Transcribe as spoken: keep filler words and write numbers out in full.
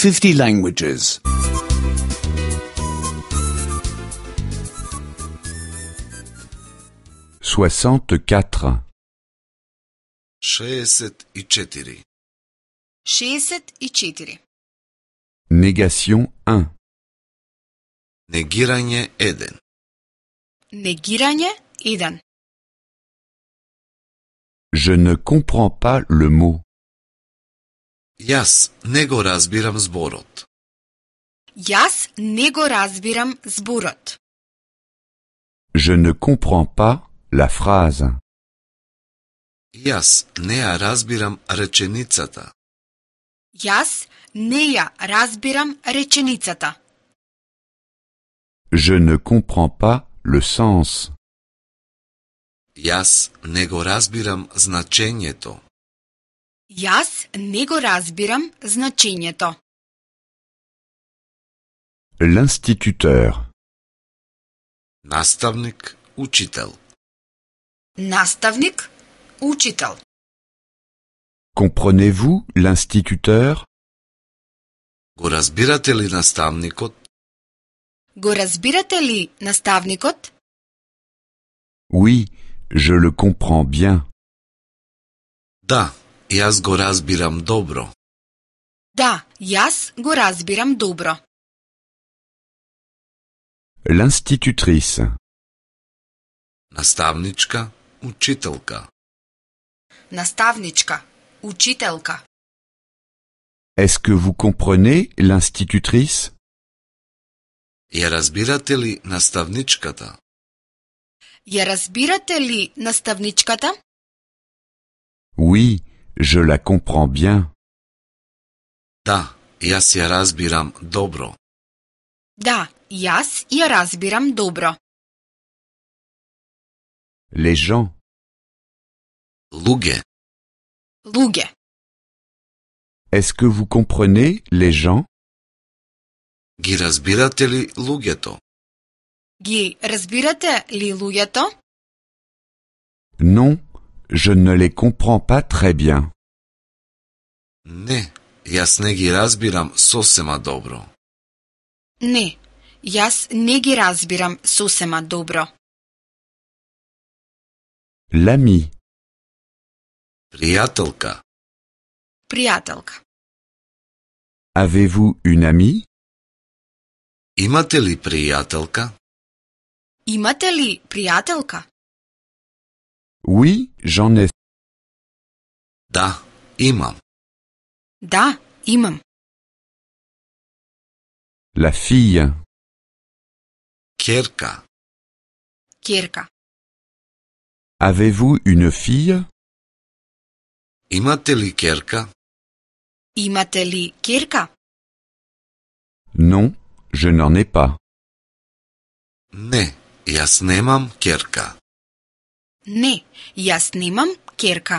fifty languages. soixante-quatre. šezdeset i četiri. šezdeset i četiri. Négation un. Negiranje jedan. Negiranje jedan. Je ne comprends pas le mot. Jaz nego razbiram zborot. Jaz nego razbiram zborot. Je ne comprends pas la phrase. Jaz ne razbiram rečenicata. Jaz neja razbiram rečenicata. Je ne comprends pas le sens. Jaz nego razbiram značenje to. Jaz nego razbiram značenje to. L'instituteur. Nastavnik, učitelj. Nastavnik, učitelj. Comprenez-vous l'instituteur? Go razbirate li nastavnikot? Go razbirate li nastavnikot? Oui, je le comprends bien. Da, jaz go razbiram dobro. Da, jaz go razbiram dobro. L'institutrice. Nastavnička, učiteljka. Nastavnička, učiteljka. Est-ce que vous comprenez l'institutrice? Je razbirate li nastavničkata? Je razbirate li nastavničkata? Oui, je la comprends bien. Da, jaz je razbiram dobro. Da, jaz je razbiram dobro. Les gens. Luge. Luge. Est-ce que vous comprenez les gens? Gi razbirate li lugeto? Gi razbirate li lugeto? Non, je ne les comprends pas très bien. Ne, jaz ne gi razbiram sosema dobro. Ne, jaz ne gi razbiram sosema dobro. L'ami. Prijateljka. Prijateljka. Avez-vous une amie? Imate li prijateljka? Imate li prijateljka? Oui, j'en ai. Da, imam. Da, imam. La fille. Kjerka. Kjerka. Avez-vous une fille? Imate li kjerka? Imate li kjerka? Non, je n'en ai pas. Ne, jaz nemam kjerka. Ne, jaz nimam kjerka.